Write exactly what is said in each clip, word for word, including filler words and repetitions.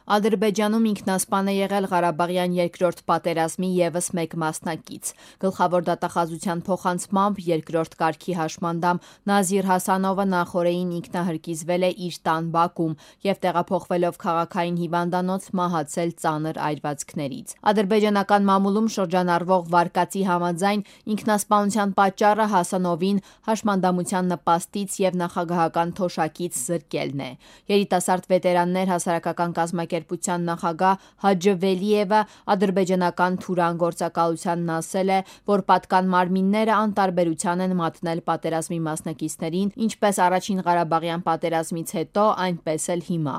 Ադրբեջանում ինքնասպան է եղել Ղարաբաղյան երկրորդ պատերազմի ևս մեկ մասնակից։ Գլխավոր դատախազության փոխանցմամբ երկրորդ կարգի հաշմանդամ Նազիր Հասանովը նախօրեին ինքնահրկիզվել է իր տան բակում և տեղափոխվելով քաղաքային հիվանդանոց մահացել ծանր այրվածքներից։ Ադրբեջանական մամուլում շրջանառվող վարկածի համաձայն ինքնասպանության պատճառը Հասանովին հաշմանդամության նպաստից և նախագահական թոշակից զրկելն է։ Երիտասարդ վետերաններ հասարակական կազմակերպության նախագահ Հաջը Վելիևը ադրբեջանական Թուրան գործակալությանն ասել է, որ պատկան մարմինները անտարբերության են մատնել պատերազմի մասնակիցներին ինչպես Առաջին Ղարաբաղյան պատերազմից հետո, այնպես էլ հիմա։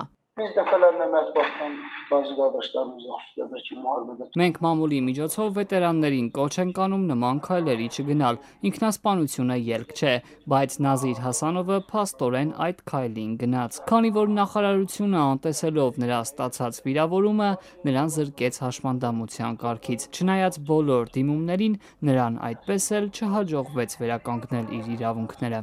Մենք մամուլի միջոցով վետերաններին կոչ ենք անում նման քայլերի չգնալ, ինքնասպանությունը ելք չէ, բայց Նազիր Հասանովը փաստորեն այդ քայլին գնաց, քանի որ նախարարությունը անտեսելով նրա ստացած վիրավորումը նրան զրկեց հաշմանդամության կարգից, չնայած բոլոր դիմումներին նրան այդպես էլ չհաջողվեց վերականգնել իր իրավունքները։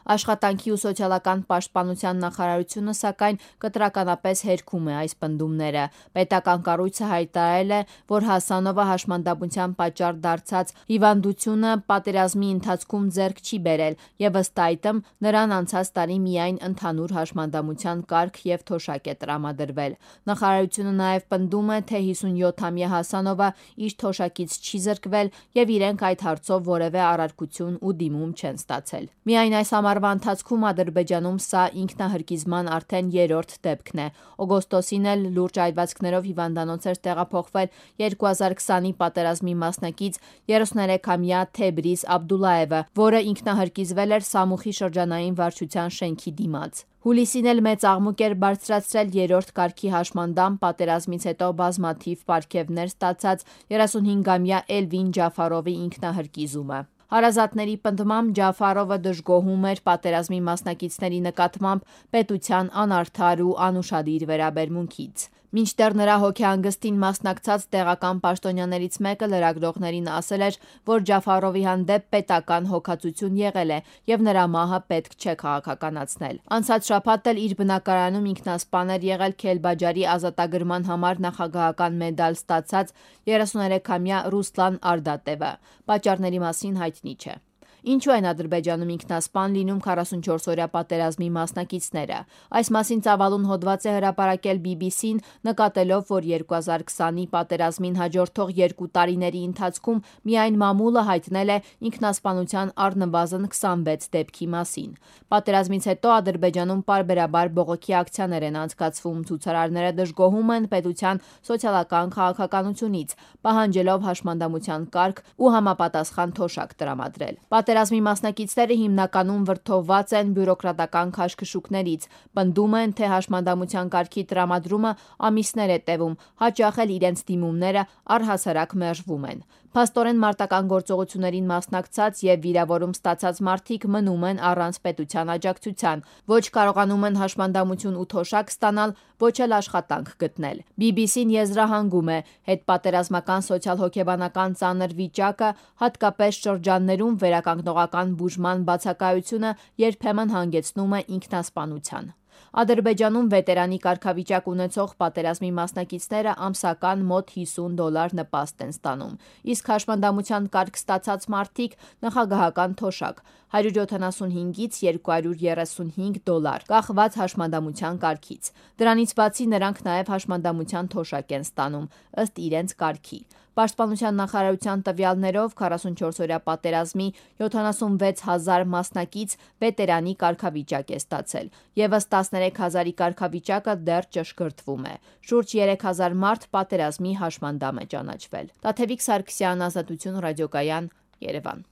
Աշխատանքի ու սոցիալական պաշտպանության նախարարությունը սակայն կտրականապես հերքում է այս պնդումները։ Պետական կառույցը հայտարարել է, որ Հասանովը հաշմանդամության պատճառ դարձած հիվանդությունը պատերազմի ընթացքում ձեռք չի բերել և ըստ այդմ նրան անցած տարի միայն ընդհանուր հաշմանդամության կարգ և թոշակ է տրամադրվել։ Նախարարությունը նաև պնդում է, թե հիսունյոթամյա Հասանովը իր թոշակից չի զրկվել և իրենք այդ հարցով որևէ առարկություն ու դիմում չեն ստացել։ Միայն այս ամառվա ընթացքում Ադրբեջանում սա ինքնահրկիզման արդեն երրորդ դեպքն է։ Օգոստոսին էլ լուրջ այրվածքներով հիվանդանոց էր տեղափոխվել երկու հազար քսանի պատերազմի մասնակից երեսուներեքամյա Թեբրիզ Աբդուլլաևը, որը ինքնահրկիզվել էր Սամուխի շրջանային վարչության շենքի դիմաց։ Հուլիսին էլ մեծ աղմուկ էր բարձրացրել երրորդ կարգի հաշմանդամ պատերազմից հետո բազմաթիվ պարգևներ ստացած երեսունհինգամյա Էլվին Ջաֆարովի ինքնահրկիզումը։ Հարազատների պնդմամբ Ջաֆարովը դժգոհում էր պատերազմի մասնակիցների նկատմամբ պետության անարդար ու անուշադիր վերաբերմունքից։ Մինչդեռ նրա հոգեհանգստին մասնակցած տեղական պաշտոնյաներից մեկը լրագրողներին ասել էր, որ Ջաֆարովի հանդեպ պետական հոգացություն եղել է և նրա մահը պետք չէ քաղաքականացնել։ Անցած շաբաթ էլ իր բնակարանում ինքնասպան էր եղել Քելբաջարի ազատագրման համար նախագահական մեդալ ստացած երեսուներեքամյա Ռուսլան Արդատևը։ Պատճառների մասին հայտնի չէ։ Ինչու են Ադրբեջանում ինքնասպան լինում քառասունչորսօրյա պատերազմի մասնակիցները։ Այս մասին ծավալուն հոդված է հրապարակել բի բի սին, նկատելով, որ երկու հազար քսանի պատերազմին հաջորդող երկու տարիների ընթացքում միայն մամուլը հայտնել է ինքնասպանության առնվազն քսանվեց դեպքի մասին։ Պատերազմից հետո Ադրբեջանում պարբերաբար բողոքի ակցիաներ են անցկացվում, ցուցարարները դժգոհում են պետության սոցիալական քաղաքականությունից, պահանջելով հաշմանդամության կարգ ու համապատասխան թոշակ տրամադրել։ Պատերազմի մասնակիցները հիմնականում վրդովված են բյուրոկրատական քաշքշուկներից, պնդում են, թե հաշմանդամության կարգի տրամադրումը ամիսներ է տևում, հաճախ էլ իրենց դիմումները առհասարակ մերժվում են։ Փաստորեն մարտական գործողություններին մասնակցած և վիրավորում ստացած մարդիկ մնում են առանց պետության աջակցության, ոչ կարողանում են հաշմանդամություն ու թոշակ ստանալ, ոչ էլ աշխատանք գտնել։ բի բի սին եզրահանգում է՝ հետպատերազմական սոցիալ-հոգեբանական ծանր վիճակը, հատկապես շրջաններում վերականգնողական բուժման բացակայությունը երբեմն հանգեցնում է ինքնասպանության։ Ադրբեջանում վետերանի կարգավիճակ ունեցող պատերազմի մասնակիցները ամսական մոտ հիսուն դոլար նպաստ են ստանում, իսկ հաշմանդամության կարգ ստացած մարդիկ՝ նախագահական թոշակ՝ հարյուր յոթանասունհինգից երկու հարյուր երեսունհինգ դոլար, կախված հաշմանդամության կարգից։ Դրանից բացի նրանք նաև հաշմանդամության թոշակ են ստանում՝ ըստ իրենց կարգի։ Պաշտպանության նախարարության տվյալներով քառասունչորսօրյա պատերազմի յոթանասունվեց հազար մասնակից վետերանի կարգավիճակ է ստացել, ևս տասներեք հազարի կարգավիճակը դեռ ճշգրտվում է։ Շուրջ երեք հազար մարդ պատերազմի հաշմանդամ է ճանաչվել։ Տաթևիկ Սարգսյան, Ազատություն ռադիոկայան, Երևան։